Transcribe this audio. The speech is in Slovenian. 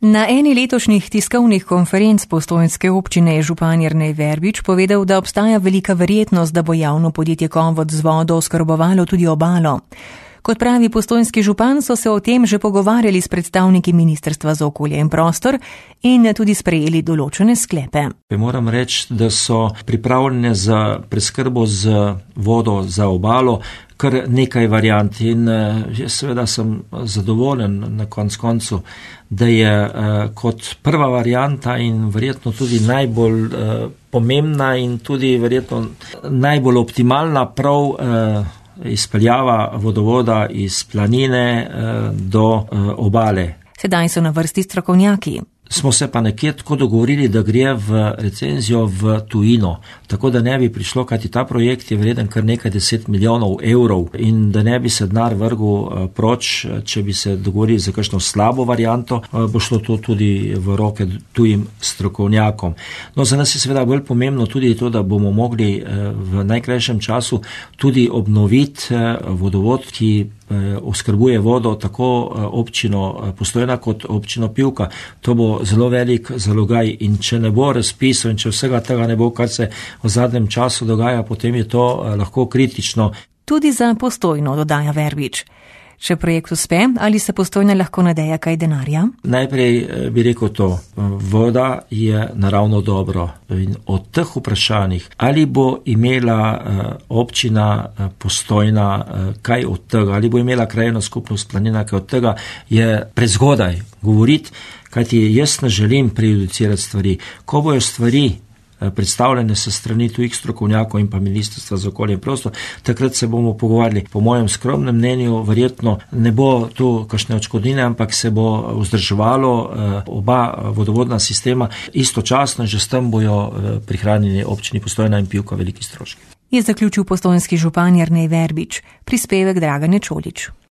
Na eni letošnjih tiskovnih konferenc postojnske občine je župan Jernej Verbič povedal, da obstaja velika verjetnost, da bo javno podjetje Komvod z vodo oskrbovalo tudi obalo. Kot pravi postojnski župan, so se o tem že pogovarjali s predstavniki Ministrstva za okolje in prostor in tudi sprejeli določene sklepe. Moram reči, da so pripravljene za preskrbo z vodo za obalo kar nekaj variant in seveda sem zadovoljen na koncu, da je kot prva varianta in verjetno tudi najbolj pomembna in tudi verjetno najbolj optimalna prav izpeljava vodovoda iz planine do obale. Sedaj so na vrsti strokovnjaki. Smo se pa nekje tako dogovorili, da gre v recenzijo v tujino, tako da ne bi prišlo, kajti ta projekt je vreden kar nekaj 10 milijonov evrov in da ne bi se denar vrgel proč, če bi se dogovorili za kakšno slabo varianto, bo šlo to tudi v roke tujim strokovnjakom. No, za nas je seveda bolj pomembno tudi to, da bomo mogli v najkrajšem času tudi obnoviti vodovod, ki oskrbuje vodo tako občino Postojna kot občino Pivka. To bo zelo velik zalogaj in če ne bo razpisov in če vsega tega ne bo, kar se v zadnjem času dogaja, potem je to lahko kritično. Tudi za Postojno, dodaja Verbič. Če projekt uspe, ali se Postojna lahko nadeja kaj denarja? Najprej bi rekel to, voda je naravno dobro in od teh vprašanjih, ali bo imela občina Postojna kaj od tega, ali bo imela krajevna skupnost Planina kaj od tega, je prezgodaj govoriti, kajti jaz ne želim prejudicirati stvari. Ko bojo stvari predstavljene se strani tujih strokovnjakov in pa Ministrstva za okolje in prostor, takrat se bomo pogovarjali. Po mojem skromnem mnenju verjetno ne bo tu kakšne odškodnine, ampak se bo vzdrževalo oba vodovodna sistema istočasno, že s tem bojo prihranjeni občini Postojna in Pivka veliki stroški. Je zaključil postojnski župan Jernej Verbič, prispevek Dragane Čolić.